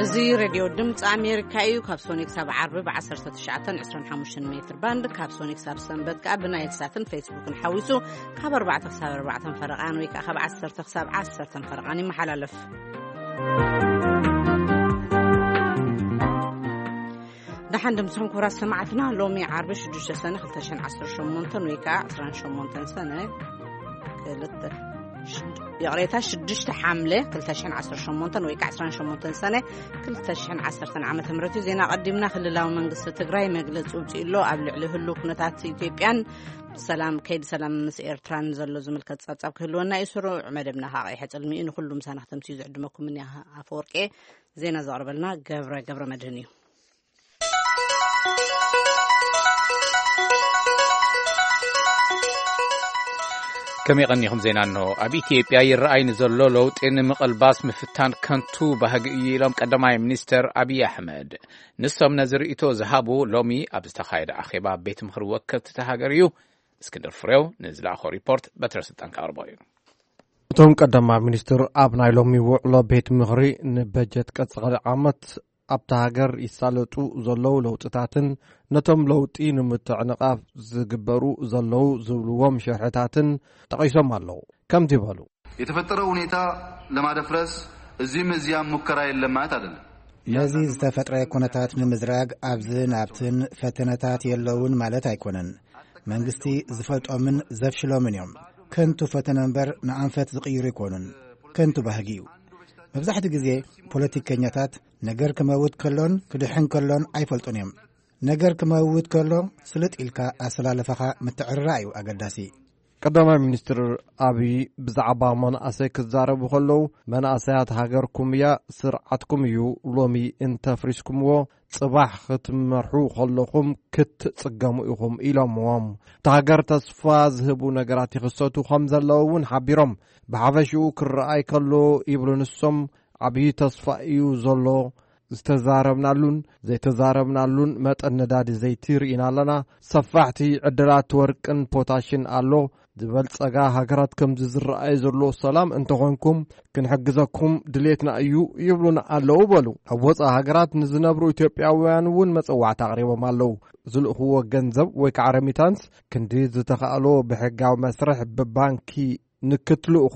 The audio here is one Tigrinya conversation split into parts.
እዚ ሬድዮ ድምፂ ኣሜሪካ እዩ። ካብ ሶኒ ክሳብ ዓርቢ ብ19 25 ሜትር ባንድ፣ ካብ ሶኒ ክሳብ ሰንበት ከዓ ብናይል ሳትን ፌስቡክን ሓዊሱ ካብ ኣርባዕተ ክሳብ ኣርባዕተ ፈረቓን ወይ ከዓ ካብ ዓሰርተ ክሳብ ዓሰርተ ፈረቓን ይመሓላለፍ። ደሓን ድምፅኹም ክቡራት ሰማዕትና። ሎሚ ዓርቢ ሽዱሽተ ሰነ ክልተ ሽሕን ዓሰርተ ሸሞንተን ወይ ከዓ ዕስራን ሸሞንተን ሰነ ክልተ፣ ሽድ-፣ ይቕሬታ፣ ሽዱሽተ ሓምለ ክልተ ሽሕን ዓሰርተ ሸሞንተን ወይ ከዓ ዕስራን ሸሞንተን ሰነ ክልተ ሽሕን ዓሰርተን ዓመተ ምህረት እዩ። ዜና ቀዲምና። ክልላዊ መንግስቲ ትግራይ መግለፂ ውፅኡ ኣሎ። ኣብ ልዕሊ ህሉ ኩነታት ኢትዮጵያን ሰላም፣ ከይዲ ሰላም ምስ ኤርትራን ዘሎ ዝምልከት ጸብጻብ ክህልወና እዩ። ስሩዕ መደብና ከዓ ቀይሐ ጽልሚ እዩ። ንኹሉ ምሳና ክተምስዩ ዝዕድመኩም እኒ ኣፈወርቄ። ዜና ዘቕርበልና ገብረ፣ ገብረ መድህን እዩ። ከመይ ቀኒኹም? ዜና እንሆ። ኣብ ኢትዮጵያ ይረኣይ ንዘሎ ለውጢ ንምቕልባስ ምፍታን ከንቱ ባህጊ እዩ ኢሎም ቀዳማይ ሚኒስተር ኣብይ ኣሕመድ። ንሶም ነዚ ርእይቶ ዝሃቡ ሎሚ ኣብ ዝተኻየደ ኣኼባ ቤት ምኽሪ ወከልቲ እታ ሃገር እዩ። እስክንድር ፍሬው ንዝለኣኾ ሪፖርት በትረ ስልጣን ከቕርቦ እዩ። እቶም ቀዳማይ ሚኒስትር ኣብ ናይ ሎሚ ውዕሎ ቤት ምኽሪ ንበጀት ቀጻሊ ዓመት ኣብታ ሃገር ይሳለጡ ዘለዉ ለውጥታትን ነቶም ለውጢ ንምትዕንቓፍ ዝግበሩ ዘለዉ ዝብልዎም ሽርሕታትን ጠቒሶም ኣለዉ። ከምዚ በሉ። የተፈጠረው ሁኔታ ለማደፍረስ እዚህም እዚያም ሙከራ የለም ማለት አይደለም። ነዚ ዝተፈጥረ ኩነታት ንምዝራግ ኣብዝን ኣብትን ፈተነታት የለውን ማለት ኣይኮነን። መንግስቲ ዝፈልጦምን ዘፍሽሎምን እዮም። ከንቱ ፈተነ እምበር ንኣንፈት ዝቕይሩ ኣይኮኑን። ከንቱ ባህጊ እዩ። መብዛሕትኡ ግዜ ፖለቲከኛታት ነገር ክመውት ከሎን ክድሕን ከሎን ኣይፈልጡን እዮም። ነገር ክመውት ከሎ ስልጥ ኢልካ ኣሰላልፋኻ ምትዕርራእ እዩ ኣገዳሲ። ቀዳማይ ሚኒስትር ኣብይ ብዛዕባ መናእሰይ ክዛረቡ ከለዉ፣ መናእሰያት ሃገርኩም እያ፣ ስርዓትኩም እዩ፣ ሎሚ እንተፍሪስኩምዎ ጽባሕ ክትመርሑ ከለኹም ክትጽገሙ ኢኹም ኢሎምዎም። እታ ሃገር ተስፋ ዝህቡ ነገራት ይኽሰቱ ከም ዘለዉ እውን ሓቢሮም። ብሓፈሽኡ ክረኣይ ከሎ ይብሉ ንሶም፣ ዓብዪ ተስፋ እዩ ዘሎ። ዝተዛረብናሉን ዘይተዛረብናሉን መጠን ነዳዲ ዘይቲ ርኢና ኣለና። ሰፋሕቲ ዕድላት ወርቅን ፖታሽን ኣሎ። ዝበልጸጋ ሃገራት ከምዚ ዝረኣይ ዘሎ ሰላም እንተኾንኩም ክንሕግዘኩም ድሌትና እዩ ይብሉና ኣለዉ በሉ። ኣብ ወጻኢ ሃገራት ንዝነብሩ ኢትዮጵያውያን እውን መጸዋዕታ ኣቕሪቦም ኣለዉ። ዝልእኽዎ ገንዘብ ወይ ከዓ ረሚታንስ ክንዲ ዝተኻእሎ ብሕጋዊ መስርሕ ብባንኪ ንክትልእኹ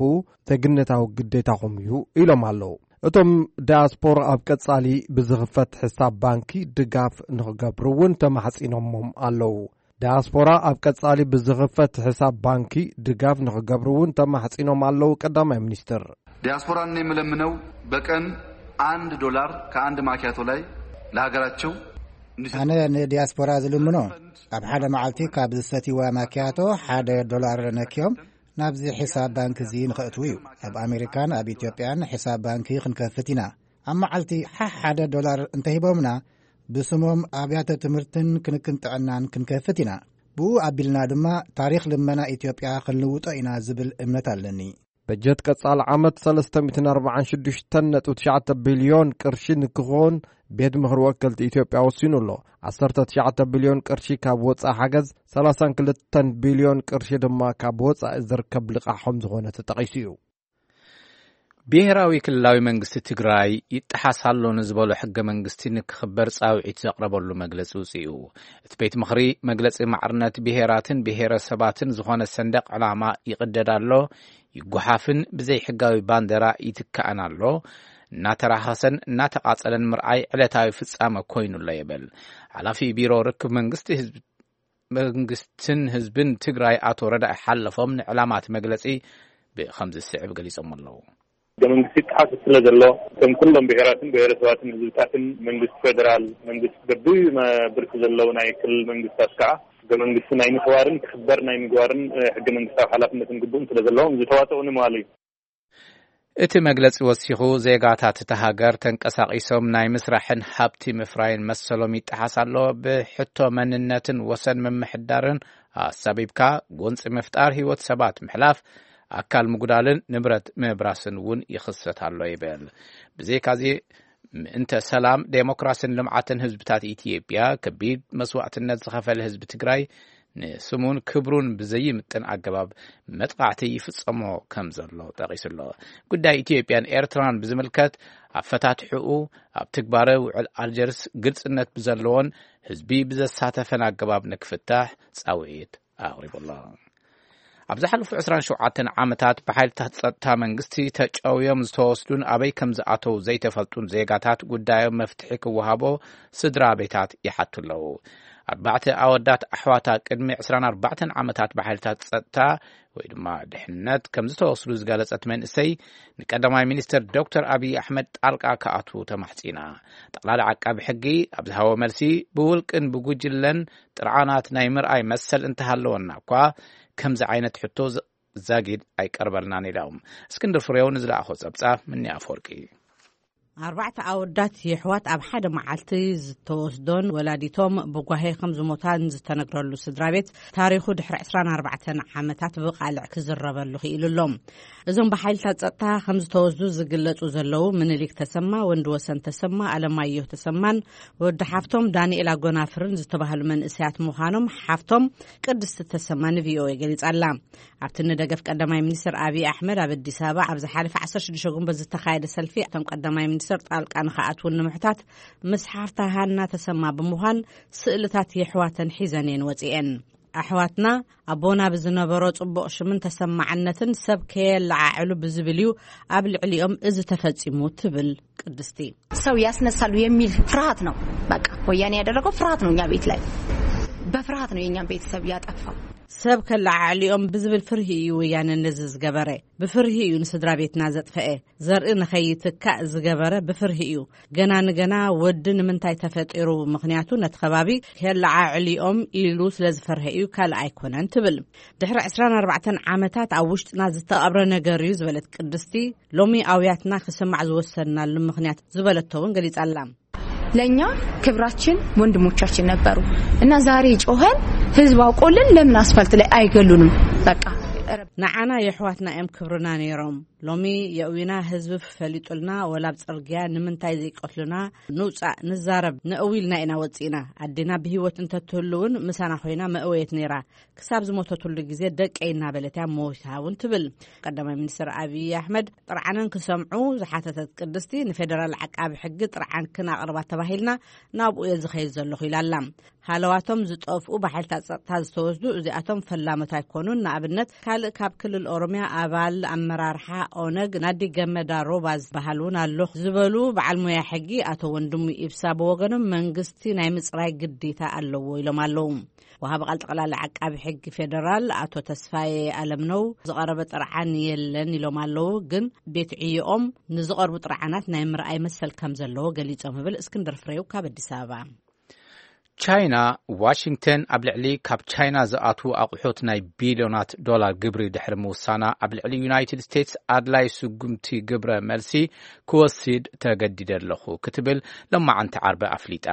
ዜግነታዊ ግዴታኹም እዩ ኢሎም ኣለዉ። እቶም ዳያስፖራ ኣብ ቀጻሊ ብዝኽፈት ሕሳብ ባንኪ ድጋፍ ንኽገብሩ እውን ተማሕጺኖሞም ኣለዉ። ዳያስፖራ ኣብ ቀጻሊ ብዝኽፈት ሕሳብ ባንኪ ድጋፍ ንኽገብሩ እውን ተማሕጺኖም ኣለዉ ቀዳማይ ሚኒስትር። ዲያስፖራን የምለምነው በቀን አንድ ዶላር ከአንድ ማኪያቶ ላይ ለሀገራቸው እንዲሰጡ። ኣነ ንዲያስፖራ ዝልምኖ ኣብ ሓደ መዓልቲ ካብ ዝሰትይዋ ማኪያቶ ሓደ ዶላር ነክዮም ናብዚ ሕሳብ ባንክ እዚ ንኸእትዉ እዩ። ኣብ ኣሜሪካን ኣብ ኢትዮጵያን ሕሳብ ባንኪ ክንከፍት ኢና። ኣብ መዓልቲ ሓሕ ሓደ ዶላር እንተሂቦምና ብስሞም ኣብያተ ትምህርትን ክንክን ጥዕናን ክንከፍት ኢና። ብኡ ኣቢልና ድማ ታሪኽ ልመና ኢትዮጵያ ክንልውጦ ኢና ዝብል እምነት ኣለኒ። በጀት ቀጻሊ ዓመት ሰለስተ ሚእትን ኣርባዓን ሽዱሽተን ነጥቢ ትሽዓተ ቢልዮን ቅርሺ ንክኸውን ቤት ምኽሪ ወከልቲ ኢትዮጵያ ወሲኑ ኣሎ። ዓሰርተ ትሽዓተ ቢልዮን ቅርሺ ካብ ወጻኢ ሓገዝ፣ ሰላሳን ክልተን ቢልዮን ቅርሺ ድማ ካብ ወጻኢ ዝርከብ ልቓሕ ከም ዝኾነ ተጠቒሱ እዩ። ብሄራዊ ክልላዊ መንግስቲ ትግራይ ይጠሓስ ኣሎ ንዝበሎ ሕገ መንግስቲ ንክኽበር ጻውዒት ዘቕረበሉ መግለጺ ውጽኡ። እቲ ቤት ምኽሪ መግለጺ ማዕርነት ብሄራትን ብሄረሰባትን ዝኾነ ሰንደቕ ዕላማ ይቕደድ ኣሎ፣ ይጓሓፍን ብዘይ ሕጋዊ ባንዴራ ይትካእን ኣሎ፣ እናተራኸሰን እናተቓጸለን ምርኣይ ዕለታዊ ፍጻመ ኮይኑሎ ይብል። ሓላፊ ቢሮ ርክብ መንግስቲ ህዝቢ መንግስትን ህዝብን ትግራይ ኣቶ ረዳኢ ሓለፎም ንዕላማት መግለጺ ብኸምዚ ዝስዕብ ገሊጾም ኣለዉ። ሕገ መንግስቲ ይጠሓስ ስለ ዘሎ፣ ከም ኩሎም ብሄራትን ብሄረሰባትን ህዝብታትን መንግስቲ ፌደራል፣ መንግስቲ በቢ መ-፣ ብርኪ ዘለዉ ናይ ክልል መንግስታት ከዓ ሕገ መንግስቲ ናይ ምኽባርን ክኽበር ናይ ምግባርን፣ እ፣ ሕገ መንግስታዊ ሓላፍነትን ግቡእን ስለ ዘለዎም ዝተዋጠኡ ንምባል እዩ። እቲ መግለጺ ወሲኹ፣ ዜጋታት እታ ሃገር ተንቀሳቒሶም ናይ ምስራሕን ሃብቲ ምፍራይን መሰሎም ይጠሓስ ኣሎ። ብሕቶ መንነትን ወሰን ምምሕዳርን ኣሳቢብካ ጎንጺ ምፍጣር፣ ህይወት ሰባት ምሕላፍ፣ ኣካል ምጉዳልን ንብረት ምብራስን እውን ይኽሰት ኣሎ ይብል። ብዘይካዚ፣ ምእንተ ሰላም፣ ዴሞክራስን ልምዓትን ህዝብታት ኢትዮጵያ ከቢድ መስዋእትነት ዝኸፈለ ህዝቢ ትግራይ ንስሙን ክብሩን ብዘይምጥን ኣገባብ መጥቓዕቲ ይፍጸሞ ከም ዘሎ ጠቒሱ ኣሎ። ጉዳይ ኢትዮጵያን ኤርትራን ብዝምልከት ኣብ ፈታትሕኡ፣ ኣብ ትግባረ ውዕል ኣልጀርስ ግልጽነት ብዘለዎን ህዝቢ ብዘሳተፈን ኣገባብ ንክፍታሕ ጻውዒት ኣቕሪቡ ኣሎ። ኣብ ዝሓለፉ ዕስራን ሸውዓተን ዓመታት ብሓይልታት ጸጥታ መንግስቲ ተጨውዮም ዝተወስዱን ኣበይ ከም ዝኣተው ዘይተፈልጡን ዜጋታት ጉዳዮም መፍትሒ ክወሃቦ ስድራ ቤታት ይሓቱ ኣለዉ። ኣርባዕተ ኣወዳት ኣሕዋታ ቅድሚ ዕስራን ኣርባዕተን ዓመታት ብሓይልታት ጸጥታ ወይ ድማ ድሕነት ከም ዝተወስዱ ዝገለጸት መንእሰይ፣ ንቀዳማይ ሚኒስትር ዶክተር ኣብይ ኣሕመድ ጣልቃ ክኣትዉ ተማሕጺና። ጠቕላሊ ዓቃቢ ሕጊ ኣብ ዝሃቦ መልሲ፣ ብውልቅን ብጉጅለን ጥርዓናት ናይ ምርኣይ መሰል እንተሃለወና እኳ፣ ከምዚ ዓይነት ሕቶ ዝ-፣ ዛጊድ ኣይቀርበልናን ኢሎም። እስክንድር ፍሬው ንዝለኣኾ ጸብጻብ ምኒ ኣፈወርቂ። ኣርባዕተ ኣወዳት የሕዋት ኣብ ሓደ መዓልቲ ዝተወስዶን ወላዲቶም ብጓሄ ከም ዝሞታን ዝተነግረሉ ስድራ ቤት፣ ታሪኹ ድሕሪ ዕስራን ኣርባዕተን ዓመታት ብቓልዕ ክዝረበሉ ክኢሉ ኣሎ። እዞም ብሓይልታት ጸጥታ ከም ዝተወስዱ ዝግለጹ ዘለዉ ምኒልክ ተሰማ፣ ወንድወሰን ተሰማ፣ ኣለማየሁ ተሰማን ወዲ ሓፍቶም ዳንኤል ኣጎናፍርን ዝተባህሉ መንእሰያት ምዃኖም ሓፍቶም ቅድስቲ ተሰማ ንቪኦኤ ገሊጻ ኣላ። ኣብቲ ንደገፍ ቀዳማይ ሚኒስትር ኣብይ ኣሕመድ ኣብ ኣዲስ ኣበባ ኣብ ዝሓለፈ ዓሰርተ ሽዱሽተ ጉንበት ዝተኻየደ ሰልፊ፣ እቶም ቀዳማይ ሚኒስትር ጣልቃ ንኽኣትዉን ንምሕታት ምስ ሓፍታ ሃና ተሰማ ብምዃን ስእልታት የሕዋተን ሒዘን እየን ወጺኤን። ኣሕዋትና ኣቦና ብዝነበሮ ጽቡቕ ሽምን ተሰማዕነትን ሰብ ከየለዓዕሉ ብዝብል እዩ ኣብ ልዕሊኦም እዚ ተፈጺሙ ትብል ቅድስቲ። ሰው ያስነሳሉ የሚል ፍርሃት ነው። በቃ ወያኔ ያደረገው ፍርሃት ነው። እኛ ቤት ላይ በፍርሃት ነው የእኛን ቤተሰብ ያጠፋው። ሰብ ከለዓዕሊኦም ብዝብል ፍርሂ እዩ ወያነ ነዚ ዝገበረ። ብፍርሂ እዩ ንስድራ ቤትና ዘጥፈኤ። ዘርኢ ንኸይትካእ ዝገበረ ብፍርሂ እዩ። ገና ንገና ወዲ ንምንታይ ተፈጢሩ? ምኽንያቱ ነቲ ከባቢ ከለዓዕሊኦም ኢሉ ስለ ዝፈርሀ እዩ፣ ካልእ ኣይኮነን ትብል። ድሕሪ ዕስራን ኣርባዕተን ዓመታት ኣብ ውሽጥና ዝተቐብረ ነገር እዩ ዝበለት ቅድስቲ፣ ሎሚ ኣውያትና ክስማዕ ዝወሰንናሉ ምኽንያት ዝበለቶ እውን ገሊጻ ኣላ። ለእኛ ክብራችን ወንድሞቻችን ነበሩ እና ዛሬ ጮኸን ህዝብ አውቆልን ለምን አስፋልት ላይ አይገሉንም? በቃ ንዓና የሕዋትና እዮም ክብርና ነይሮም። ሎሚ የእዊና ህዝቢ ፈሊጡልና፣ ወላ ኣብ ጽርግያ ንምንታይ ዘይቀትሉና ንውጻእ ንዛረብ ነእዊ ኢልና ኢና ወጺእና። ኣዴና ብህይወት እንተትህሉ እውን ምሳና ኮይና መእወየት ነይራ። ክሳብ ዝሞተትሉ ግዜ ደቀይ እናበለት እያ ሞይታ እውን ትብል። ቀዳማይ ሚኒስትር ኣብይ ኣሕመድ ጥርዓነን ክሰምዑ ዝሓተተት ቅድስቲ፣ ንፌደራል ዓቃቢ ሕጊ ጥርዓን ክናቕርባ ተባሂልና ናብኡ እየ ዝኸይድ ዘለኹ ኢላ ኣላ። ሃለዋቶም ዝጠፍኡ ብሓይልታት ጸጥታ ዝተወስዱ እዚኣቶም ፈላሞት ኣይኮኑን። ንኣብነት ካልእ ካብ ክልል ኦሮሚያ ኣባል ኣመራርሓ ኦነግ ናዲ ገመዳ ሮባ ዝበሃል እውን ኣሎ ዝበሉ በዓል ሞያ ሕጊ ኣቶ ወንድሙ ኢብሳ ብወገኖም መንግስቲ ናይ ምጽራይ ግዴታ ኣለዎ ኢሎም ኣለዉ። ወሃቢ ቃል ጠቕላሊ ዓቃቢ ሕጊ ፌደራል ኣቶ ተስፋዬ ኣለምነው ዝቐረበ ጥርዓን የለን ኢሎም ኣለዉ። ግን ቤት ዕዮኦም ንዝቐርቡ ጥርዓናት ናይ ምርኣይ መሰል ከም ዘለዎ ገሊጾም ይብል እስክንድር ፍሬው ካብ ኣዲስ ኣበባ። ቻይና፣ ዋሽንግተን ኣብ ልዕሊ ካብ ቻይና ዝኣትዉ ኣቑሑት ናይ ቢልዮናት ዶላር ግብሪ ድሕሪ ምውሳና፣ ኣብ ልዕሊ ዩናይትድ ስቴትስ ኣድላይ ስጉምቲ ግብረ መልሲ ክወስድ ተገዲደ ኣለኹ ክትብል ሎማዓንቲ ዓርቢ ኣፍሊጣ።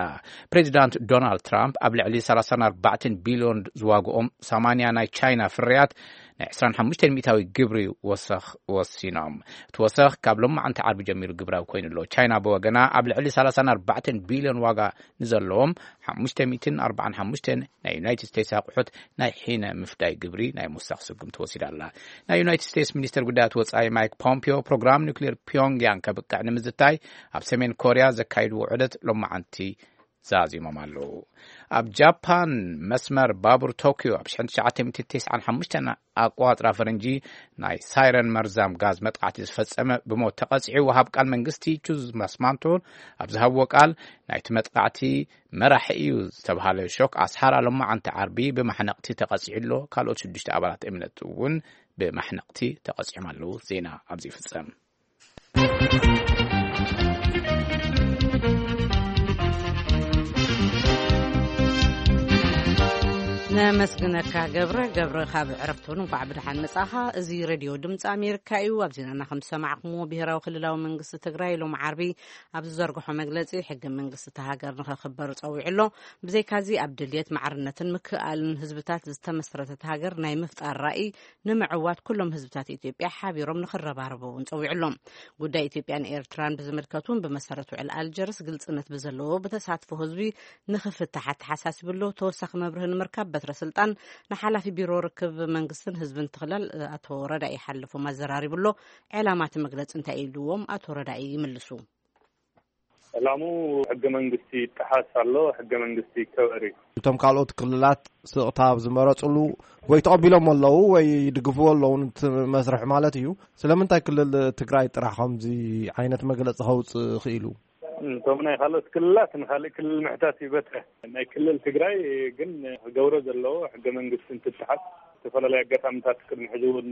ፕሬዚዳንት ዶናልድ ትራምፕ ኣብ ልዕሊ ሰላሳን ኣርባዕተን ቢልዮን ዝዋግኦም ሰማንያ ናይ ቻይና ፍርያት ናይ ዕስራን ሓሙሽተን ሚእታዊ ግብሪ ወሰኽ ወሲኖም። እቲ ወሰኽ ካብ ሎማዓንቲ ዓርቢ ጀሚሩ ግብራዊ ኮይኑ ኣሎ። ቻይና ብወገና ኣብ ልዕሊ ሰላሳን ኣርባዕተን ቢልዮን ዋጋ ንዘለዎም ሓሙሽተ ሚእትን ኣርባዓን ሓሙሽተን ናይ ዩናይትድ ስቴትስ ኣቑሑት ናይ ሒነ ምፍዳይ ግብሪ ናይ ምውሳኽ ስጉምቲ ወሲዳ ኣላ። ናይ ዩናይትድ ስቴትስ ሚኒስትር ጉዳያት ወጻኢ ማይክ ፖምፒዮ ፕሮግራም ኒውክሌር ፒዮንግያንግ ከብቅዕ ንምዝታይ ኣብ ሰሜን ኮርያ ዘካይድዎ ዑደት ሎማዓንቲ ዛዚሞም ኣለዉ። ኣብ ጃፓን መስመር ባቡር ቶክዮ ኣብ ሽሕን ትሽዓተ ሚእትን ተስዓን ሓሙሽተን ኣቋጽራ ፈረንጂ ናይ ሳይረን መርዛም ጋዝ መጥቃዕቲ ዝፈጸመ ብሞት ተቐጺዑ። ወሃብ ቃል መንግስቲ ቹዝ ማስማንቶ ኣብ ዝሃብዎ ቃል፣ ናይቲ መጥቃዕቲ መራሒ እዩ ዝተብሃለ ሾክ ኣስሓራ ሎማዓንቲ ዓርቢ ብማሕነቕቲ ተቐጺዑ ኣሎ። ካልኦት ሽዱሽተ ኣባላት እምነት እውን ብማሕነቕቲ ተቐጺዖም ኣለዉ። ዜና ኣብዚ ይፍጸም። ነመስግነካ ገብረ። ገብረ፣ ካብ ዕረፍቲ እውን እንኳዕ ብደሓን መጻኻ። እዚ ሬድዮ ድምፂ ኣሜሪካ እዩ። ኣብ ዜናና ከም ዝሰማዕኩምዎ፣ ብሄራዊ ክልላዊ መንግስቲ ትግራይ ሎም ዓርቢ ኣብ ዝዘርግሖ መግለፂ፣ ሕገ መንግስቲ እታ ሃገር ንኸኽበር ፀዊዑ ኣሎ። ብዘይካዚ፣ ኣብ ድልየት ማዕርነትን ምክእኣልን ህዝብታት ዝተመስረተት ሃገር ናይ ምፍጣር ራእይ ንምዕዋት ኩሎም ህዝብታት ኢትዮጵያ ሓቢሮም ንኽረባረቡ እውን ፀዊዑ ኣሎ። ጉዳይ ኢትዮጵያን ኤርትራን ብዝምልከት እውን ብመሰረት ውዕል ኣልጀርስ ግልፅነት ብዘለዎ ብተሳትፎ ህዝቢ ንኽፍታሕ ኣተሓሳሲቡ ኣሎ። ተወሳኺ መብርሂ ንምርካብ በትሪ ስልጣን ንሓላፊ ቢሮ ርክብ መንግስትን ህዝብን ትኽለል ኣቶ ረዳኢ ሓለፎም ኣዘራሪቡ ኣሎ። ዕላማ እቲ መግለፂ እንታይ ኢልዎም? ኣቶ ረዳኢ ይምልሱ። ዕላሙ ሕገ መንግስቲ ይጠሓስ ኣሎ፣ ሕገ መንግስቲ ይከበር እዩ። እቶም ካልኦት ክልላት ስቕታ ኣብ ዝመረፅሉ ወይ ተቐቢሎም ኣለዉ ወይ ይድግፍዎ ኣለዉ እቲ መስርሕ ማለት እዩ። ስለምንታይ ክልል ትግራይ ጥራሕ ከምዚ ዓይነት መግለፂ ከውፅእ ክኢሉ? እቶም ናይ ካልኦት ክልላት ንካልእ ክልል ምሕታት ይበትረ። ናይ ክልል ትግራይ ግን ክገብሮ ዘለዎ ሕገ መንግስቲ እንትተሓዝ ዝተፈላለዩ ኣጋጣሚታት ቅድሚ ሕዚ እውን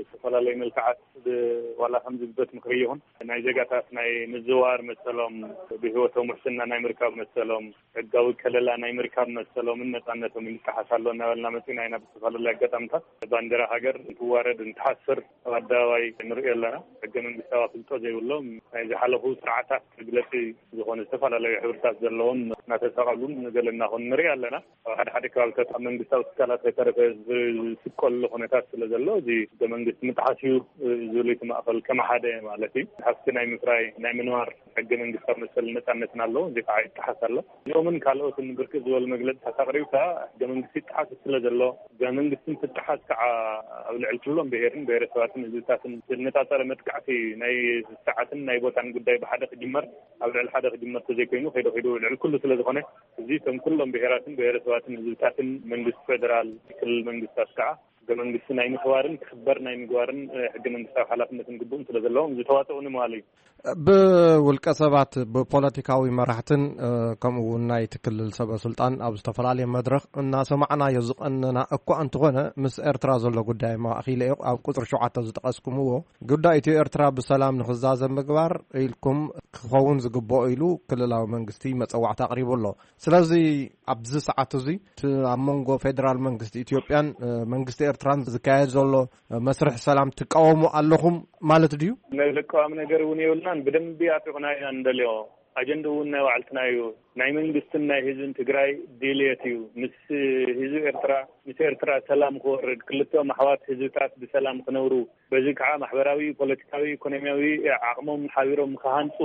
ዝተፈላለዩ መልክዓት ብ-፣ ዋላ ከምዚ ብበት ምክሪ ይኹን ናይ ዜጋታት ናይ ምዝዋር መሰሎም፣ ብህይወቶም ውሕስና ናይ ምርካብ መሰሎም፣ ሕጋዊ ከለላ ናይ ምርካብ መሰሎምን ነፃነቶም ይንቀሓስ ኣሎ እናበልና መፂና ኢና። ብዝተፈላለዩ ኣጋጣሚታት ባንዲራ ሃገር እንትዋረድ እንትሓስር ኣብ ኣደባባይ ንሪኦ ኣለና። ሕገ መንግስታዊ ኣፍልጦ ዘይብሎም ናይ ዝሓለፉ ስርዓታት መግለፂ ዝኾነ ዝተፈላለዩ ሕብርታት ዘለዎም እናተጠቐሉን ገለ እናኾኑ ንሪኢ ኣለና። ኣብ ሓደ ሓደ ከባቢታት ኣብ መንግስታዊ ትካላት ከይተረፈ ዝስቀሉ ኩነታት ስለ ዘሎ፣ እዚ ሕገ መንግስቲ ምጥሓስ እዩ ዝብል እቲ ማእኸል ከም ሓደ ማለት እዩ። ሃፍቲ ናይ ምፍራይ፣ ናይ ምንባር ሕገ መንግስታዊ መሰል ነፃነትና ኣለዎ። እዚ ከዓ ይጠሓስ ኣሎ። እዚኦምን ካልኦትን ብርክት ዝበሉ መግለፅታት ኣቕሪብካ ሕገ መንግስቲ ይጠሓስ ስለ ዘሎ፣ ሕገ መንግስቲ እንትጠሓስ ከዓ ኣብ ልዕሊ ኩሎም ብሄርን ብሄረሰባትን ህዝብታትን ዝነፃፀረ መጥቃዕቲ ናይ ሰዓትን ናይ ቦታን ጉዳይ ብሓደ ክጅመር፣ ኣብ ልዕሊ ሓደ ክጅመር ተዘይኮይኑ ከይዱ ከይዱ ልዕሊ ኩሉ ስለ ዝኾነ፣ እዚ ከም ኩሎም ብሄራትን ብሄረሰባትን ህዝብታትን መንግስቲ ፌደራል፣ ክልል መንግስታት ከዓ ሕገ መንግስቲ ናይ ምኽባርን ክኽበር ናይ ምግባርን፣ እ፣ ሕገ መንግስታዊ ሓላፍነትን ግቡእን ስለ ዘለዎም ዝተዋፀኡ ንምባል እዩ። ብውልቀ ሰባት ብፖለቲካዊ መራሕትን፣ እ፣ ከምኡ እውን ናይቲ ክልል ሰበ ስልጣን ኣብ ዝተፈላለየ መድረኽ እናሰማዕናዮ ዝቐነና እኳ እንተኾነ፣ ምስ ኤርትራ ዘሎ ጉዳይ ማእኺለ ኣብ ቁፅሪ ሸውዓተ ዝጠቐስኩምዎ ጉዳይ ኢትዮ ኤርትራ ብሰላም ንኽዛዘም ምግባር ኢልኩም ክኸውን ዝግብኦ ኢሉ ክልላዊ መንግስቲ መፀዋዕታ ኣቕሪቡ ኣሎ። ስለዚ ኣብዚ ሰዓት እዚ እቲ ኣብ መንጎ ፌደራል መንግስቲ ኢትዮጵያን፣ እ፣ መንግስቲ ኤርትራን ዝካየድ ዘሎ፣ እ፣ መስርሕ ሰላም ትቃወሙ ኣለኹም ማለት ድዩ? ናይ ዘቃዋሚ ነገር እውን የብልናን። ብደንቢ ኣጥብቕና ኢና ንደልዮ። ኣጀንድኡ እውን ናይ ባዕልትና እዩ። ናይ መንግስትን ናይ ህዝብን ትግራይ ድልየት እዩ። ምስ ህዝቢ ኤርትራ፣ ምስ ኤርትራ ሰላም ክወርድ፣ ክልቲኦም ኣሕዋት ህዝብታት ብሰላም ክነብሩ፣ በዚ ከዓ ማሕበራዊ፣ ፖለቲካዊ፣ ኢኮኖሚያዊ ዓቕሞም ሓቢሮም ክሃንፁ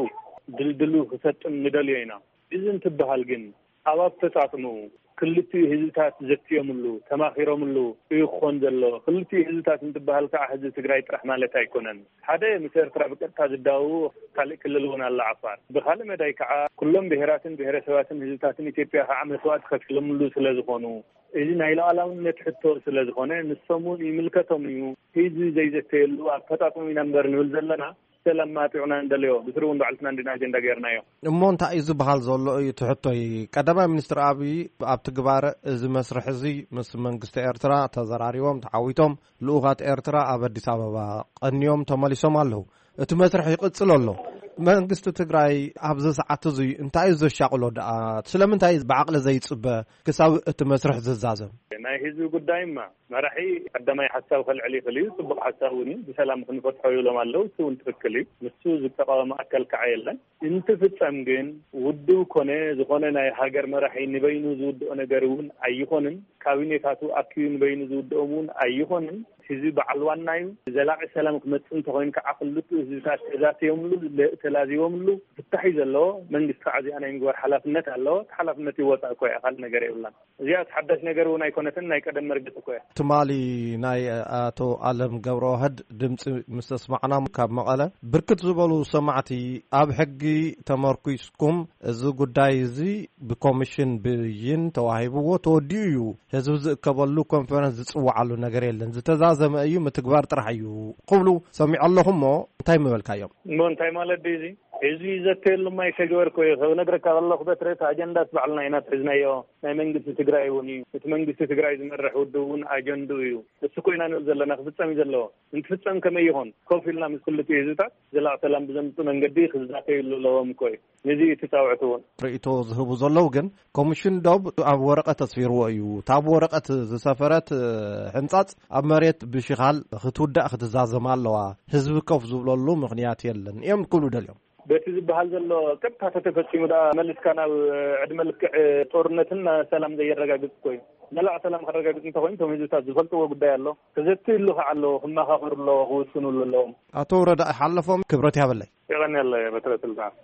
ድልድሉ ክሰጥም ንደልዮ ኢና። እዚ እንትበሃል ግን ኣብ ኣፈፃፅምኡ ክልቲኡ ህዝብታት ዘትዮምሉ፣ ተማኺሮምሉ እዩ ክኾን ዘሎ። ክልቲኡ ህዝብታት እንትበሃል ከዓ ህዝቢ ትግራይ ጥራሕ ማለት ኣይኮነን። ሓደ ምስ ኤርትራ ብቀጥታ ዝዳወቡ ካልእ ክልል እውን ኣሎ፣ ዓፋር። ብኻልእ መዳይ ከዓ ኩሎም ብሄራትን ብሄረሰባትን ህዝብታትን ኢትዮጵያ ከዓ መስዋእቲ ከፊሎምሉ ስለ ዝኾኑ፣ እዚ ናይ ሉዓላውነት ሕቶ ስለ ዝኾነ ንሶም እውን ይምልከቶም እዩ። ህዝቢ ዘይዘተየሉ ኣፈፃፅሙ ኢና እምበር ንብል ዘለና። ሰላም ማጥዑና እንደልዮ፣ ብስሩ እውን ባዕልትና እንዲና ኣጀንዳ ገይርናዮ። እሞ እንታይ እዩ ዝበሃል ዘሎ እዩ እቲ ሕቶይ። ቀዳማይ ሚኒስትር ኣብይ ኣብ ትግባረ እዚ መስርሕ እዚ ምስ መንግስቲ ኤርትራ ተዘራሪቦም ተዓዊቶም ልኡኻት ኤርትራ ኣብ ኣዲስ ኣበባ ቀንዮም ተመሊሶም ኣለዉ። እቲ መስርሕ ይቕጽል ኣሎ። መንግስቲ ትግራይ ኣብዚ ሰዓት እዚ እንታይ እዩ ዘሻቕሎ ደኣ? ስለምንታይ እዩ ብዓቕሊ ዘይጽበ ክሳብ እቲ መስርሕ ዝዛዘም? ናይ ህዝቢ ጉዳይማ መራሒ ቀዳማይ ሓሳብ ከልዕል ይኽእል እዩ። ጽቡቕ ሓሳብ እውን እዩ። ብሰላም ክንፈትሖ ይብሎም ኣለዉ። እሱ እውን ትኽክል እዩ። ንሱ ዝተቃወመ ኣካል ከዓ የለን። እንትፍጸም ግን ውድብ ኮነ ዝኾነ ናይ ሃገር መራሒ ንበይኑ ዝውድኦ ነገር እውን ኣይኾንን። ካቢኔታቱ ኣኪቡ ንበይኑ ዝውድኦም እውን ኣይኾንን። ህዝቢ በዓል ዋና እዩ። ዘላቂ ሰላም ክመጽእ እንተኾይኑ ከዓ ክልቲኡ ህዝብታት ተዛትዮምሉ፣ ለ-፣ ተላዚቦምሉ ፍታሕ እዩ ዘለዎ። መንግስቲ ከዓ እዚኣ ናይ ምግባር ሓላፍነት ኣለዎ። እቲ ሓላፍነት ይወፃእ እኮ እያ፣ ካልእ ነገር የብላን። እዚኣ ሓዳሽ ነገር እውን ኣይኮነትን፣ ናይ ቀደም መርገፂ እኮ እያ። ትማሊ ናይ ኣቶ ኣለም ገብረዋህድ ድምፂ ምስ ተስማዕና ካብ መቐለ ብርክት ዝበሉ ሰማዕቲ ኣብ ሕጊ ተመርኩስኩም እዚ ጉዳይ እዚ ብኮሚሽን ብይን ተዋሂብዎ ተወዲኡ እዩ፣ ህዝቢ ዝእከበሉ ኮንፈረንስ ዝፅወዓሉ ነገር የለን፣ ዝተዛዘመ እዩ፣ ምትግባር ጥራሕ እዩ ክብሉ ሰሚዐ ኣለኹ። እሞ እንታይ ምበልካዮም? እሞ እንታይ ማለት ድዩ እዚ? ህዝቢ ዘተየሉማ ይተግበር እኮ እዩ። ከብነግረካ ከለኹ በትረ እቲ ኣጀንዳስ ባዕልና ኢና ትሒዝናዮ። ናይ መንግስቲ ትግራይ እውን እዩ። እቲ መንግስቲ ትግራይ ዝመርሕ ውድብ እውን ኣጀንድኡ እዩ። እሱ እኮ ኢና ንብል ዘለና፣ ክፍጸም እዩ ዘለዎ። እንትፍጸም ከመይ ይኾን? ኮፍ ኢልና ምስ ክልቲኡ ህዝብታት ዘላቕ ሰላም ብዘምጽእ መንገዲ ክዛተዩሉ ኣለዎም እኮ እዩ። ነዚ እዩ እቲ ጻውዕቲ እውን። ርእይቶ ዝህቡ ዘለዉ ግን ኮሚሽን ዶብ ኣብ ወረቐት ኣስፊርዎ እዩ። እታ ኣብ ወረቐት ዝሰፈረት፣ እ፣ ሕንጻጽ ኣብ መሬት ብሽኻል ክትውዳእ ክትዛዘም ኣለዋ። ህዝቢ ኮፍ ዝብለሉ ምኽንያት የለን እዮም ክብሉ ደልዮም። በቲ ዝበሃል ዘሎ ቀጥታ ተተፈጺሙ ደኣ መሊስካ ናብ ዕድመ ልክዕ ጦርነትን ሰላም ዘየረጋግጽ እኮ እዩ። ዘላቕ ሰላም ከረጋግጽ እንተኾይኑ እቶም ህዝብታት ዝፈልጥዎ ጉዳይ ኣሎ። ክዘትይሉ ከዓ ኣለዎ፣ ክመኻኸሩ ኣለዎ፣ ክውስኑሉ ኣለዎም። ኣቶ ረዳኢ ሓለፎም ክብረት ያበለይ። የቐንየለይ በትረ ስልጣን።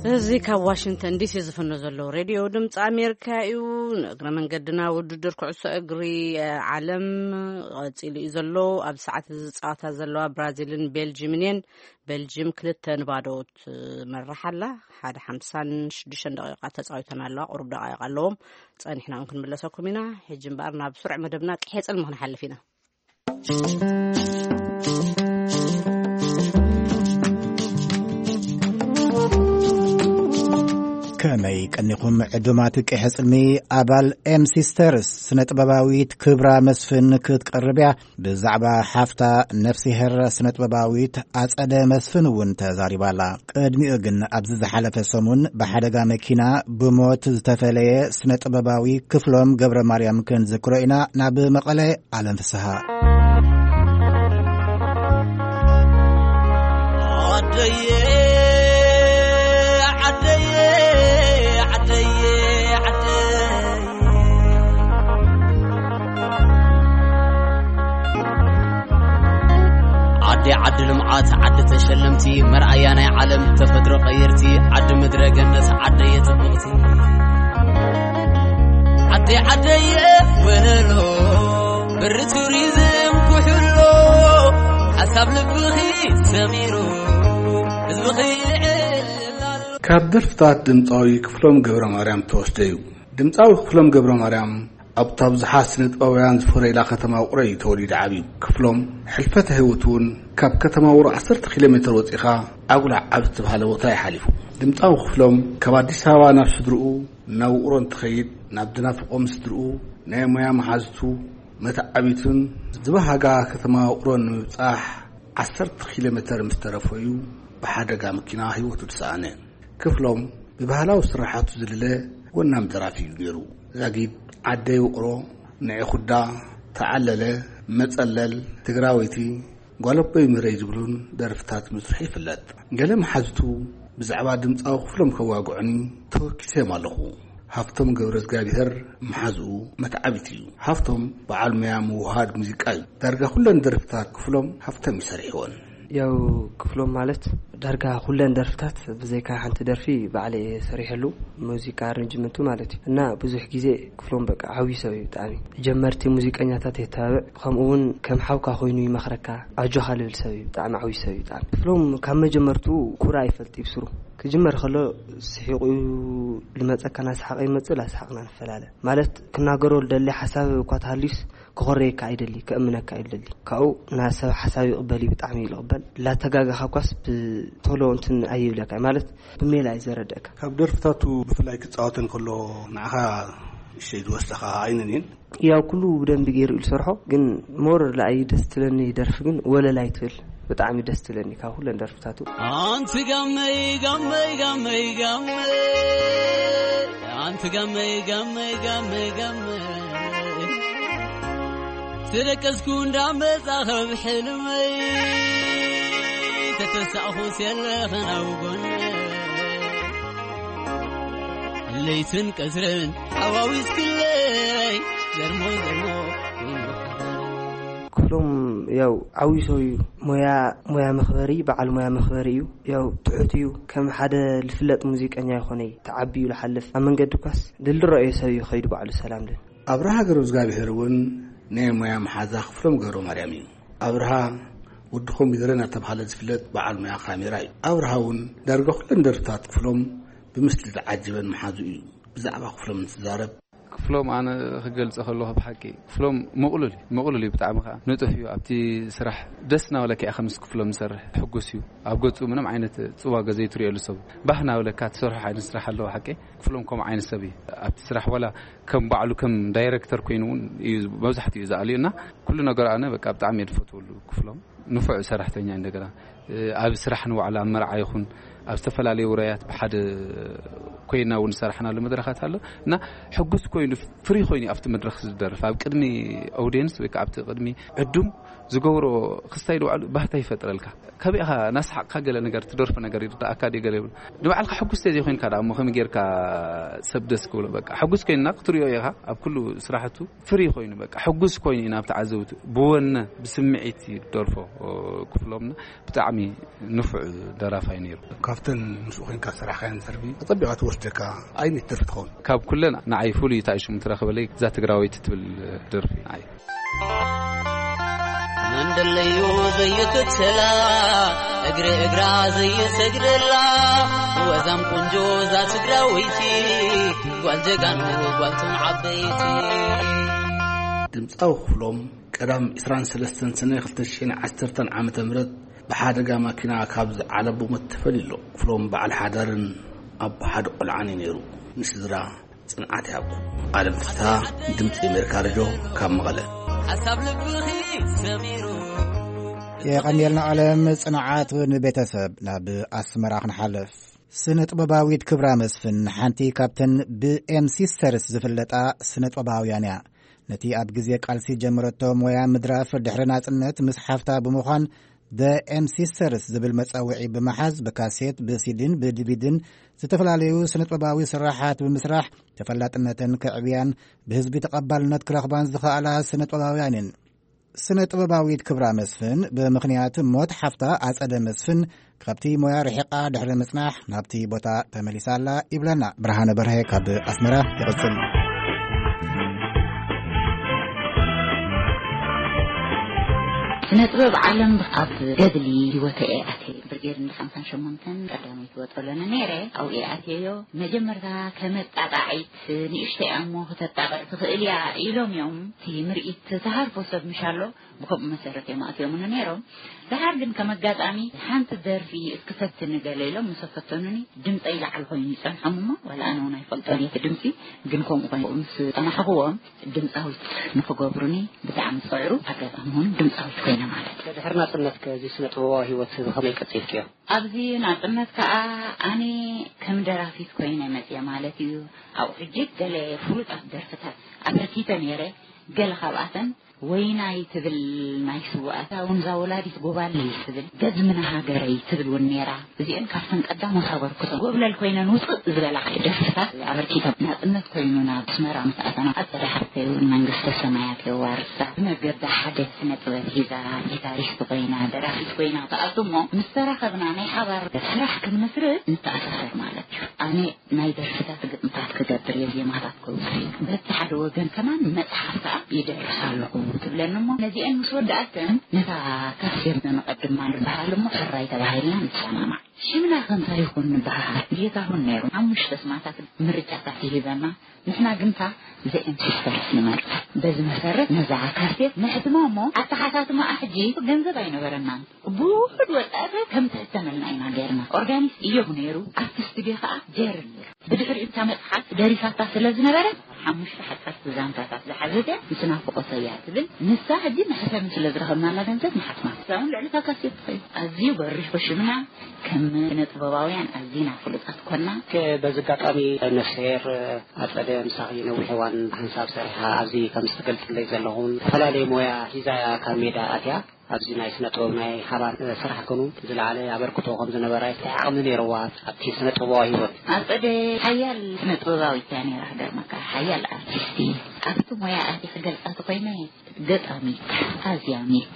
እዚ ካብ ዋሽንግተን ዲሲ ዝፍኖ ዘሎ ሬድዮ ድምፂ ኣሜሪካ እዩ። ንእግረ መንገድና ውድድር ኩዕሶ እግሪ ዓለም ቀፂሉ እዩ ዘሎ። ኣብ ሰዓት እዚ ፀዋታ ዘለዋ ብራዚልን ቤልጅምን እየን። ቤልጅም ክልተ ንባዶ ትመርሕ ኣላ። ሓደ ሓምሳን ሽዱሽተን ደቂቃ ተፃዊተን ኣለዋ። ቁሩብ ደቃይቅ ኣለዎም። ፀኒሕና እውን ክንምለሰኩም ኢና። ሕጂ እምበኣር ናብ ስሩዕ መደብና ቅሔ ጽልሚ ክንሓልፍ ኢና። ከመይ ቀኒኹም ዕዱማት ቅሔ ጽልሚ? ኣባል ኤም ሲስተርስ ስነ ጥበባዊት ክብራ መስፍን ክትቀርብ እያ። ብዛዕባ ሓፍታ ነፍሲሄር ስነ ጥበባዊት ኣጸደ መስፍን እውን ተዛሪባላ። ቅድሚኡ ግን ኣብዚ ዝሓለፈ ሰሙን ብሓደጋ መኪና ብሞት ዝተፈለየ ስነ ጥበባዊ ክፍሎም ገብረ ማርያም ክንዝክሮ ኢና። ናብ መቐለ፣ ኣለም ፍስሃ። ዓደየ፣ ዓደየ፣ ዓደየ፣ ዓደየ። ዓዲ ዓዲ ልምዓት፣ ዓዲ ተሸለምቲ፣ መርኣያ ናይ ዓለም ተፈጥሮ ቀየርቲ፣ ዓዲ ምድረ ገነት፣ ዓደየ ጽብቕቲ። ዓደይ ዓደየ ወለሎ፣ ብሪ ቱሪዝም ኩሕሎ፣ ሓሳብ ልብኺ ሰሚሩ፣ ህዝብኺ ይዕልል ኣሎ። ካብ ደርፍታት ድምፃዊ ክፍሎም ገብረ ማርያም ተወስደ እዩ። ድምፃዊ ክፍሎም ገብረ ማርያም ኣብታ ብዙሓት ስነ ጥበባውያን ዝፈረይላ ከተማ ውቕሮ እዩ ተወሊዱ ዓብዩ። ክፍሎም ሕልፈተ ህይወቱ እውን ካብ ከተማ ውቕሮ ዓሰርተ ኪሎ ሜትር ወፂኻ ዓጉላ ዓብ ዝተባሃለ ቦታ እዩ ሓሊፉ። ድምፃዊ ክፍሎም ካብ ኣዲስ ኣበባ ናብ ስድርኡ ናብ ውቕሮ እንትኸይድ፣ ናብ ድናፍቖም ስድርኡ፣ ናይ ሞያ መሓዝቱ፣ መተዓቢቱን ዝበሃጋ ከተማ ውቕሮ ንምብጻሕ ዓሰርተ ኪሎ ሜተር ምስ ተረፎ እዩ ብሓደጋ መኪና ህይወቱ ዝሰኣነ። ክፍሎም ብባህላዊ ስራሓቱ ዝልለ ወናም ደራፊ እዩ ነይሩ። ዛጊድ፣ ዓደይ ውቕሮ፣ ንዒ ኩዳ፣ ተዓለለ፣ መጸለል፣ ትግራወይቲ፣ ጓለቦይ ምረይ ዝብሉን ደርፍታት ምስርሑ ይፍለጥ። ገለ መሓዝቱ ብዛዕባ ድምፃዊ ክፍሎም ከዋግዑኒ ተወኪሰዮም ኣለኹ። ሃፍቶም ገብረ እግዚኣብሔር መሓዝኡ መትዓቢት እዩ። ሃፍቶም በዓል ሙያ ምውሃድ ሙዚቃ እዩ። ዳርጋ ኩለን ደርፍታት ክፍሎም ሃፍቶም ይሰርሕዎን። ያው ክፍሎም ማለት ዳርጋ ኩለን ደርፍታት ብዘይካ ሓንቲ ደርፊ ባዕለ እየ ሰሪሐሉ፣ ሙዚቃ ኣረንጅመንቱ ማለት እዩ። እና ብዙሕ ግዜ ክፍሎም በቃ ዓብዪ ሰብ እዩ ብጣዕሚ። ጀመርቲ ሙዚቀኛታት የተባብዕ፣ ከምኡ እውን ከም ሓውካ ኮይኑ ይመኽረካ፣ ኣጆኻ ልብል ሰብ እዩ፣ ብጣዕሚ ዓብዪ ሰብ እዩ ብጣዕሚ። ክፍሎም ካብ መጀመርቱ ኩራ ይፈልጥ እዩ ብስሩ። ክጅመር ከሎ ስሒቑ እዩ ልመፀካ፣ ናስሓቐ ይመፅእ፣ ላስሓቕና ንፈላለ። ማለት ክናገሮ ልደሊ ሓሳብ እኳ ተሃልዩስ ክኾረየካ ኣይደሊ፣ ከእምነካ ኣይደሊ። ካብኡ ናብ ሰብ ሓሳብ ይቕበል እዩ፣ ብጣዕሚ እዩ ልቕበል። ላተጋገኻ እኳስ ብቶሎ እንትን ኣይብለካ እዩ፣ ማለት ብሜላ እዩ ዘረድእካ። ካብ ደርፍታቱ ብፍላይ ክጻወተን ከሎ ንዓኻ እሸይ ዝወስደኻ ኣይነን እየን? ያው ኩሉ ብደንቢ ገይሩ እዩ ዝሰርሖ፣ ግን ሞር ለኣይ ደስ ትለኒ ደርፊ ግን ወለላይ ትብል ብጣዕሚ ደስ ትለኒ ካብ ኩለን ደርፍታቱ። ኣንቲ ጋመይ፣ ጋመይ፣ ጋመይ፣ ጋመይ፣ ኣንቲ ጋመይ፣ ጋመይ፣ ጋመይ፣ ጋመይ፣ ተደቀስኩ እንዳመጻ ካብ ሕልመይ፣ ተተሳእኹስ የለኽን ኣብ ጎነይ። ለይትን ቀትርን ሓዋዊስክለይ፣ ዘርሞ ዘርሞ ክፍሎም ያው ዓብዪ ሰብ እዩ። ሞያ፣ ሞያ መኽበሪ፣ በዓል ሞያ መኽበሪ እዩ። ያው ትሑት እዩ። ከም ሓደ ልፍለጥ ሙዚቀኛ ይኾነ እዩ። ተዓብዩ ልሓልፍ። ኣብ መንገዲ ኳስ ድልድሮ እዩ ሰብ እዩ ኸይዱ ባዕሉ ሰላም ድን። ኣብርሃ ገብረ እግዚኣብሔር እውን ናይ ሞያ መሓዛ ክፍሎም ገብረ ማርያም እዩ። ኣብርሃ ወዲ ኮምፒውተር እናተባህለ ዝፍለጥ በዓል ሞያ ካሜራ እዩ። ኣብርሃ እውን ዳርጋ ኩለን ደርፍታት ክፍሎም ብምስሊ ዝዓጀበን መሓዙ እዩ። ብዛዕባ ክፍሎም እንትዛረብ፣ ክፍሎም ኣነ ክገልጸ ከለኹ ብሓቂ ክፍሎም ምቕሉል እዩ። ምቕሉል እዩ ብጣዕሚ ከኣ ንጡፍ እዩ። ኣብቲ ስራሕ ደስ እናበለካ ኢኻ ምስ ክፍሎም ዝሰርሕ። ሕጉስ እዩ። ኣብ ገጹ ምንም ዓይነት ጽዋገ ዘይትርእየሉ ሰብ። ባህ እናበለካ ትሰርሖ ዓይነት ስራሕ ኣለዎ ሓቂ። ክፍሎም ከምኡ ዓይነት ሰብ እዩ። ኣብቲ ስራሕ ዋላ ከም ባዕሉ ከም ዳይረክተር ኮይኑ እውን እዩ መብዛሕትኡ እዩ ዝኣልዩ እና ኩሉ ነገሩ ኣነ በቃ ብጣዕሚ እየ ዝፈትወሉ ክፍሎም። ንፉዕ ሰራሕተኛ እንደገና፣ እ፣ ኣብ ስራሕ ንባዕሉ ኣብ መርዓ ይኹን ኣብ ዝተፈላለዩ ውራያት ብሓደ ኮይና እውን ዝሰራሕናሉ መድረኻት ኣሎ። እና ሕጉስ ኮይኑ፣ ፍሪ ኮይኑ ኣብቲ መድረኽ ዝደርፍ፣ ኣብ ቅድሚ ኦዲየንስ ወይ ከዓ ኣብቲ ቅድሚ ዕዱም ዝገብሮ ክስታይ ንባዕሉ ባህታ ይፈጥረልካ። ከቢእኻ ናስሓቕካ ገለ ነገር ትደርፎ ነገር ይርዳእካ ድዩ ገለ ይብል። ንባዕልካ ሕጉስ ተዘይኮይንካ ደኣ እሞ ከመይ ጌርካ ሰብ ደስ ክብሎ? በቃ ሕጉስ ኮይንና ክትሪኦ ኢኻ ኣብ ኩሉ ስራሕቱ ፍሪ ኮይኑ፣ በቃ ሕጉስ ኮይኑ ኢና ኣብ ተዓዘብቱ ብወነ ብስምዒት ይደርፎ። ክፍሎምና ብጣዕሚ ንፉዕ ደራፋይ ነይሩ። ካብተን ምስኡ ኮይንካ ዝሰራሕካየን ደርፊ ኣጸቢቓ ትወስደካ ኣይነት ደርፊ ትኸውን? ካብ ኩለን ንዓይ ፍሉይ እታ ሽሙ ትረኽበለይ እዛ ትግራወይቲ ትብል ደርፊ ንዓይ። መንደለዩ ዘይትትላ እግሪ እግራ ዘይሰግደላ ወዛም ቆንጆ እዛ ትግራወይቲ ጓል ጀጋኑ ጓልቶም ዓበይቲ። ድምጻዊ ክፍሎም ቀዳም ዕስራን ሰለስተን ሰነ ክልተ ሽሕን ዓሰርተን ዓመተ ምህረት ብሓደጋ ማኪና ካብ ዝዓለቡ ሞት ተፈልዩ ኣሎ። ክፍሎም በዓል ሓዳርን ኣቦ ሓደ ቆልዓን እዩ ነይሩ። ንስድራ ጽንዓት ይሃብኩም። ኣለም ፍስሃ፣ ድምጺ ኣሜሪካ ሬድዮ ካብ መቐለ። ሓሳብ ልብኺ ሰሚሩ። የቐንየልና ኣለም፣ ጽንዓት ንቤተሰብ። ናብ ኣስመራ ክንሓልፍ። ስነ ጥበባዊት ክብራ መስፍን ሓንቲ ካብተን ብኤም ሲስተርስ ዝፍለጣ ስነ ጥበባውያን እያ። ነቲ ኣብ ግዜ ቃልሲ ጀመረቶ ሞያ ምድራፍ ድሕሪ ናጽነት ምስ ሓፍታ ብምዃን The M Sisters ዝብል መጸውዒ ብምሓዝ ብካሴት፣ ብሲዲን ብዲቪዲን ዝተፈላለዩ ስነ ጥበባዊ ስራሓት ብምስራሕ ተፈላጥነተን ከዕብያን ብህዝቢ ተቐባልነት ክረኽባን ዝኸኣላ ስነ ጥበባውያን እየን። ስነ ጥበባዊት ክብራ መስፍን ብምኽንያት ሞት ሓፍታ ኣጸደ መስፍን ካብቲ ሞያ ርሒቓ ድሕሪ ምጽናሕ ናብቲ ቦታ ተመሊሳ ኣላ ይብለና ብርሃነ በርሀ ካብ ኣስመራ። ይቕጽል። ስነ ጥበብ ዓለም ኣብ ገድሊ ህይወተ እየ ኣትየ። ብርጌድ እንዳ ሓምሳን ሸሞንተን ቀዳመይቲ ወጠሎኒ ነይረ። ኣብኡ እየ ኣትየዮ። መጀመርታ ከመጣቃዒት ንእሽተይ እያ እሞ ክተጣቅዕ ትኽእል እያ ኢሎም እዮም። እቲ ምርኢት ተሃርፎ ሰብ ምሽ ኣሎ። ብከምኡ መሰረት እዮም ኣትዮምኒ ነይሮም። ደሓር ግን ከም ኣጋጣሚ ሓንቲ ደርፊ እስኪ ፈትኒ ገለ ኢሎም ምስ ፈተኑኒ ድምፀይ ላዕሊ ኮይኑ ይፀንሖም እሞ ዋላ ኣነ እውን ኣይፈልጦን እየ እቲ ድምፂ። ግን ከምኡ ኮይኑ ምስ ፀናሕኽዎም ድምፃዊት ንክገብሩኒ ብጣዕሚ ዝፅዕሩ ኣጋጣሚ ሆኑ ድምፃዊት ኮይነ ማለት እዩ። ድሕሪ ናፅነት ከ እዚ ስነ ጥበባዊ ህይወት እዚ ከመይ ቀፂልክዮ? ኣብዚ ናፅነት ከዓ ኣነ ከም ደራፊት ኮይነ መፅየ ማለት እዩ። ኣብኡ ሕጂ ገለ ፍሉጣት ደርፍታት ኣበርኪተ ነይረ። ገለ ካብኣተን ወይናይ ትብል ናይ ስውኣታ እውን እዛ ወላዲት ጎባለይ ትብል ገዝምና ሃገረይ ትብል እውን ነይራ። እዚአን ካብተን ቀዳሞት ኣበርክቶ ጎብለል ኮይነን ውፅእ ዝበላ ደርፍታት ኣበርኪተን። ናፅነት ኮይኑ ናብ ኣስመራ ምስ ኣተና ኣፀደ ሓፍተይ እውን መንግስተ ሰማያት የዋርሳ። ብመገዲ ሓደ ስነ ጥበብ ሒዛ ጊታሪስት ኮይና ደራፊት ኮይና ትኣቱ እሞ ምስ ተራኸብና ናይ ሓባር ስራሕ ክንመስርት ንተኣሳሰር ማለት እዩ። ኣነ ናይ ደርፍታት ግጥምታት ክገብር እየ፣ ዜማታት ከውፅእ እየ። በቲ ሓደ ወገን ከማን መፅሓፍ ከዓ ይደርስ ኣለኹ ትብለኒ እሞ ነዚአን ምስ ወዳኣተን ነታ ካሴት ነቐድማ ንበሃል እሞ ሕራይ ተባሂልና ንሰማማዕ። ሽምና ከ እንታይ ይኹን ንበሃል? ጌታሁን ነይሩ። ሓሙሽተ ስማታት ምርጫታት ይሂበና። ንሕና ግንታ ዘኤም ሲስተርስ ንመርጽ። በዚ መሰረት ነዛ ካሴት ነሕትማ እሞ ኣተሓታትማኣ ሕጂ ገንዘብ ኣይነበረናን። ብውሑድ ወጻእታት ከም ትሕተመልና ኢና ጌርና። ኦርጋኒስት እዮብ ነይሩ፣ ኣብቲ ስቱድዮ ከኣ ጀሪ ነይሩ። ብድሕሪኡ እታ መጽሓፍ ደሪሳታ ስለ ዝነበረት ሓሙሽተ ሓጸርቲ ዛንታታት ዝሓዘት እያ። ምስ ናፍቖተይ እያ ትብል። ንሳ ሕጂ መሕተሚ ስለ ዝረኸብናላ ገንዘብ ንሓትማ። እዛ እውን ልዕሊ እታ ካሴት ትኸይድ። ኣዝዩ በሪኹ ሽምና። ከም ስነ ጥበባውያን ኣዚና ፍሉጣት ኮና። ከ-፣ በዚ ኣጋጣሚ ነፍስሄር ኣጸደ ምሳኺ ነዊሕ እዋን ሓንሳብ ሰሪሓ ኣብዚ ከም ዝትገልጽለይ ዘለኹን ዝተፈላለየ ሞያ ሒዛ እያ ካብ ሜዳ ኣትያ። ኣብዚ ናይ ስነ ጥበብ ናይ ሓባር ስራሕ ከኑ ዝለዓለ ኣበርክቶ ከም ዝነበራ እንታይ ዓቕሚ ነይርዋ ኣብቲ ስነ ጥበባዊ ህይወት? ኣጸደ ሓያል ስነ ጥበባዊት እያ ነይራ፣ ክገርመካ ሓያል ኣርቲስት እያ። ኣብቲ ሞያ ኣትየ ክገልጻ ተኾይነ ገጣሚት፣ ኣዝያሚት፣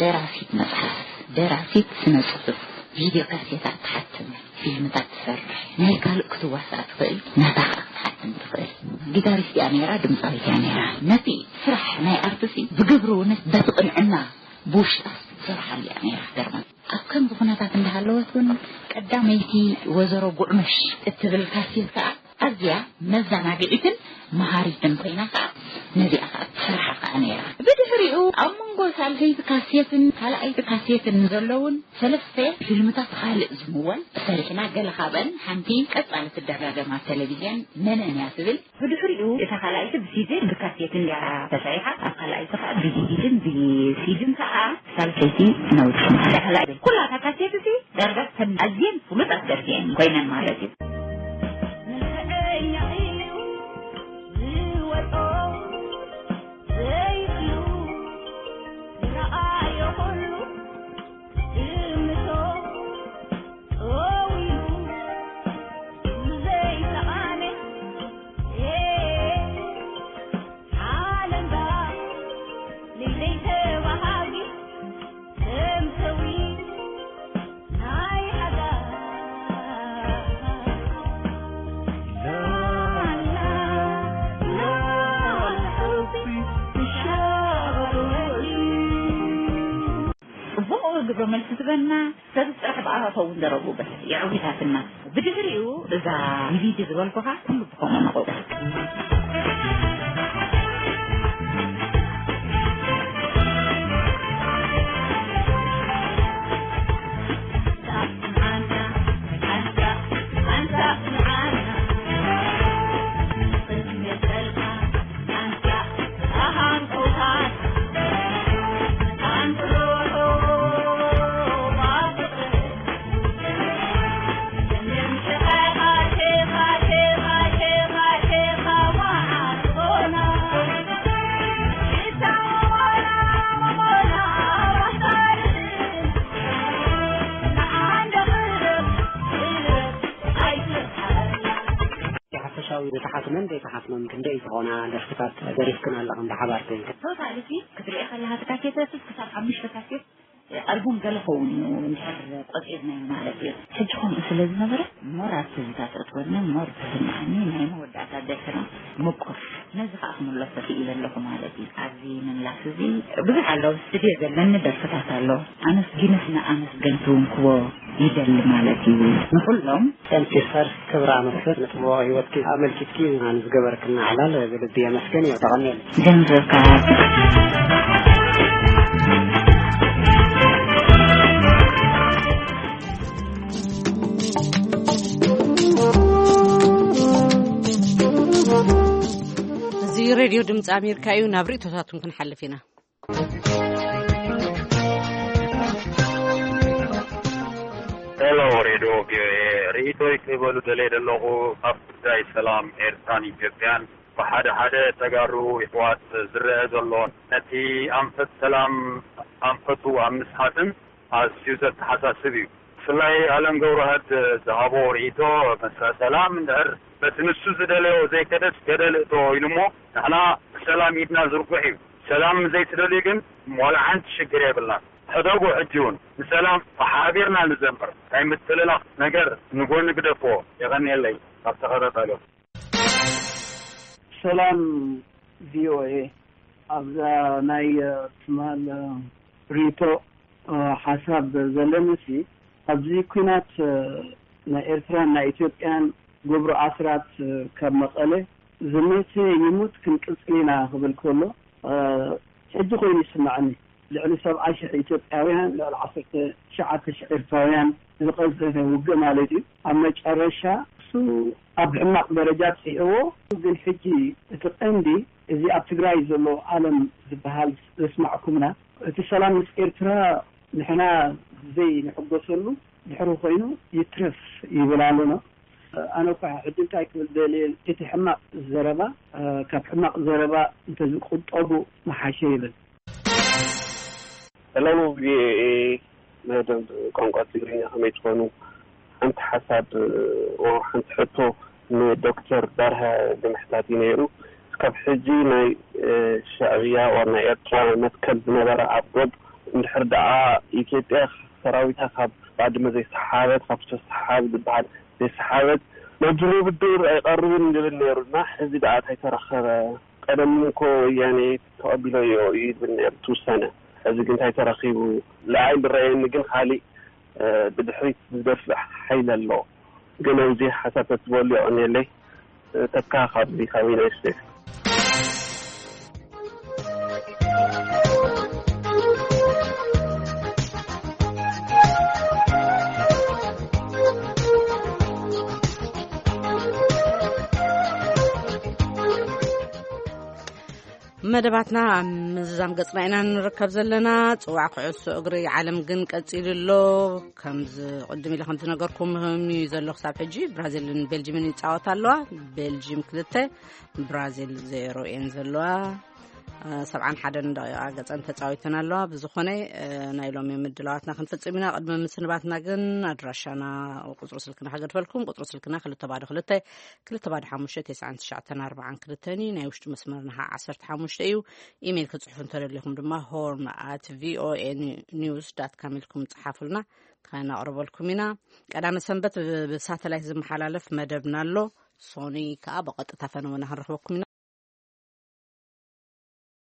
ደራሲት መጽሓፍ፣ ደራሲት ስነ ጽሑፍ፣ ቪድዮ ካሴታት ትሓትም፣ ፊልምታት ትሰርሕ፣ ናይ ካልእ ክትዋሳእ ትኽእል፣ ናታ ኸኣ ክትሓትም ትኽእል። ጊታሪስት እያ ነይራ፣ ድምጻዊት እያ ነይራ። ነቲ ስራሕ ናይ ኣርትሲ ብግብሪ እውን በቲ ቅንዕና ብውሽጣ ትሰርሓሉ እያ ነይራ። ገርማ ኣብ ከምዚ ኩነታት እንዳሃለወት እውን ቀዳመይቲ ወዘሮ ጉዕመሽ እትብል ካሴት ከኣ ኣዝያ መዘናግዒትን መሃሪትን ኮይና ከኣ ነዚኣ ከኣ ትሰርሓ ከኣ ነይራ። ብድሕሪኡ ኣብ መንጎ ሳልሰይቲ ካሴትን ካልኣይቲ ካሴትን ዘለውን ሰለስተ ፊልምታት ካልእ ዝምወል ሰሪሕና። ገለ ካብአን ሓንቲ ቀጻሊ ትደጋገም ኣብ ቴሌቪዝን መነን እያ ትብል። ብድሕሪኡ እታ ካልኣይቲ ብሲዲን ብካሴትን እያ ተሰሪሓ። ኣብ ካልኣይቲ ከኣ ብዲቪዲን ብሲዲን ከኣ ሳልሰይቲ ነውጽ። እታ ካልኣይቲ ኩላ እታ ካሴት እዚ ዳርጋ ተን ኣዝየን ፍሉጣት ደርፊ እየን ኮይነን ማለት እዩ። መልሲ ዝበና ሰብ ጥራሕ ብኣኻኸው እንደረቡ በስ የዕዊታትና። ብድሕሪኡ እዛ ቪዲ ዝበልኩኻ ኩሉ ብኸምኡ ንቐውስ። ሓፈሻዊ ዝተሓትመን ዘይተሓትመን ክንደይ ዝኾና ደርፍታት ደሪፍክን ኣለኽን ብሓባር ኮይንክን? ቶታሊ ሲ ክትሪኦ ከለኻ እቲ ካሴት ክሳብ ሓሙሽተ ካሴት ኣልቡም ገለ ኸውን እዩ እንድሕር ቆጺርናዮ ማለት እዩ። ሕጂ ከምኡ ስለ ዝነበረ ሞር ኣብ ትዝታ ተእትወና ሞር ተስምዓኒ ናይ መወዳእታ ደርፍና ምቁር። ነዚ ከዓ ክምለሶ ክኢለ ኣለኹ ማለት እዩ። ኣብዚ ምምላስ እዚ ብዙሕ ኣለዉ ስቱድዮ ዘለኒ ደርፍታት ኣለዉ። ኣመስጊነስ ንኣመስገንቲ እውን ክቦ ይደሊ ማለት እዩ። ንኹሎም ሰንቲስተር ክብራ መስገን ንጽቡቕ ህይወትኪ ኣመልኪትኪ ንዝገበርክና ዕላል ብልቢ የመስገን እየ። ተቐንየለይ። ገንዘብካ እዚ ሬድዮ ድምፂ ኣሜሪካ እዩ። ናብ ርእቶታቱን ክንሓልፍ ኢና። ሄሎ ሬድዮ ቪኦኤ፣ ርእይቶይ ክህበሉ ደለየ ዘለኹ ኣብ ጉዳይ ሰላም ኤርትራን ኢትዮጵያን ብሓደ ሓደ ተጋሩ ይሕዋት ዝረአ ዘሎ ነቲ ኣንፈት ሰላም ኣንፈቱ ኣብ ምስሓትን ኣዝዩ ዘተሓሳስብ እዩ። ብፍላይ ኣለም ገብረዋህድ ዝሃቦ ርእይቶ፣ መስርሕ ሰላም እንድሕር በቲ ንሱ ዝደለዮ ዘይከደስ ገደል እቶ ኢሉ እሞ፣ ንሕና ብሰላም ኢድና ዝርጉሕ እዩ። ሰላም ዘይትደልዩ ግን ዋላ ሓንቲ ሽግር የብልናን። ሕደጉ ሕጂ እውን ንሰላም ብሓቢርና ንዘምር። ናይ ምትልላኽ ነገር ንጎኒ ግደፍዎ። የቐንየለይ ካብ ተኸታታሊኹም። ሰላም ቪኦኤ፣ ኣብዛ ናይ ትማል ሪቶ ሓሳብ ዘለንሲ ኣብዚ ኲናት ናይ ኤርትራን ናይ ኢትዮጵያን ገብሩ ኣስራት ካብ መቐለ ዝመተ ይሙት ክንቅጽል ኢና ክብል ከሎ ሕጂ ኮይኑ ይስምዓኒ። ልዕሊ ሰብዓ ሽሕ ኢትዮጵያውያን፣ ልዕሊ ዓሰርተ ትሽዓተ ሽሕ ኤርትራውያን ዝቐዘፈ ውግእ ማለት እዩ። ኣብ መጨረሻ እሱ ኣብ ሕማቕ ደረጃ ጽሕዎ። ግን ሕጂ እቲ ቀንዲ እዚ ኣብ ትግራይ ዘሎ ዓለም ዝበሃል ዘስማዕኩምና፣ እቲ ሰላም ምስ ኤርትራ ንሕና ዘይንሕጎሰሉ ድሕሪ ኮይኑ ይትረፍ ይብል ኣሎ። ኣነ እኳ ሕጂ እንታይ ክብል ደልየ፣ እቲ ሕማቕ ዘረባ ካብ ሕማቕ ዘረባ እንተዝቁጠቡ ምሓሸ ይብል። ሰላም ቪኦኤ መደብ ቋንቋ ትግርኛ፣ ከመይ ትኾኑ? ሓንቲ ሓሳብ፣ ኦ፣ ሓንቲ ሕቶ ንዶክተር በርሀ ንምሕታት እዩ ነይሩ። እስካብ ሕጂ ናይ ሻዕብያ ኦር ናይ ኤርትራ መትከል ዝነበረ ኣብ ዶብ፣ እንድሕር ደኣ ኢትዮጵያ ሰራዊታ ካብ ባድመ ዘይሰሓበት፣ ካብ ሰሓብ ዝበሃል ዘይሰሓበት፣ ናብ ድርድር ኣይቀርብን ይብል ነይሩ እና ሕዚ ደኣ እንታይ ተረኸበ? ቀደም እኮ ወያኔ ተቐቢሎዮ እዩ ዝብል ነይሩ እቲ ውሳነ። ሕዚ ግን እንታይ ተረኺቡ? ንዓይ ዝረኣየኒ ግን ካሊእ፣ እ፣ ብድሕሪት ዝደፍእ ሓይሊ ኣሎ። ግን ኣብዚ ሓሳብ ተትበሉ የቐንየለይ። እ፣ ተካ ካብዚ ካብ ዩናይትድ ስቴትስ። መደባትና ኣብ ምዝዛም ገጽና ኢና ንርከብ ዘለና። ጽዋዕ ኩዕሶ እግሪ ዓለም ግን ቀጺሉ ኣሎ። ከምዚ ቅድም ኢለ ከም ዝነገርኩም እዩ ዘሎ ክሳብ ሕጂ። ብራዚልን ቤልጅምን ይጻወታ ኣለዋ። ቤልጅም ክልተ፣ ብራዚል ዜሮ እየን ዘለዋ። እ፣ ሰብዓን ሓደን ደቂቓ ገጸን ተጻዊተን ኣለዋ። ብዝኾነ፣ እ፣ ናይ ሎሚ ምድላዋትና ክንፍጽም ኢና። ቅድሚ ምስንባትና ግን ኣድራሻና፣ ቁጽሪ ስልክና ከገድፈልኩም። ቁጽሪ ስልክና ክልተ ባዶ ክልተ፣ ክልተ ባዶ ሓሙሽተ፣ ተስዓን ትሽዓተን ኣርባዓን ክልተን እዩ። ናይ ውሽጢ መስመርና ኸዓ ዓሰርተ ሓሙሽተ እዩ። ኢሜይል ክጽሕፉ እንተደሊኹም ድማ ሆርን ኣት ቪኦኤ ኒውስ ዳት ካም ኢልኩም ጽሓፉልና፣ ከነቕርበልኩም ኢና። ቀዳመ ሰንበት ብ-፣ ብሳተላይት ዝመሓላለፍ መደብና ኣሎ። ሶኒ ከኣ ብቐጥታ ፈነወና ክንረኽበኩም ኢና።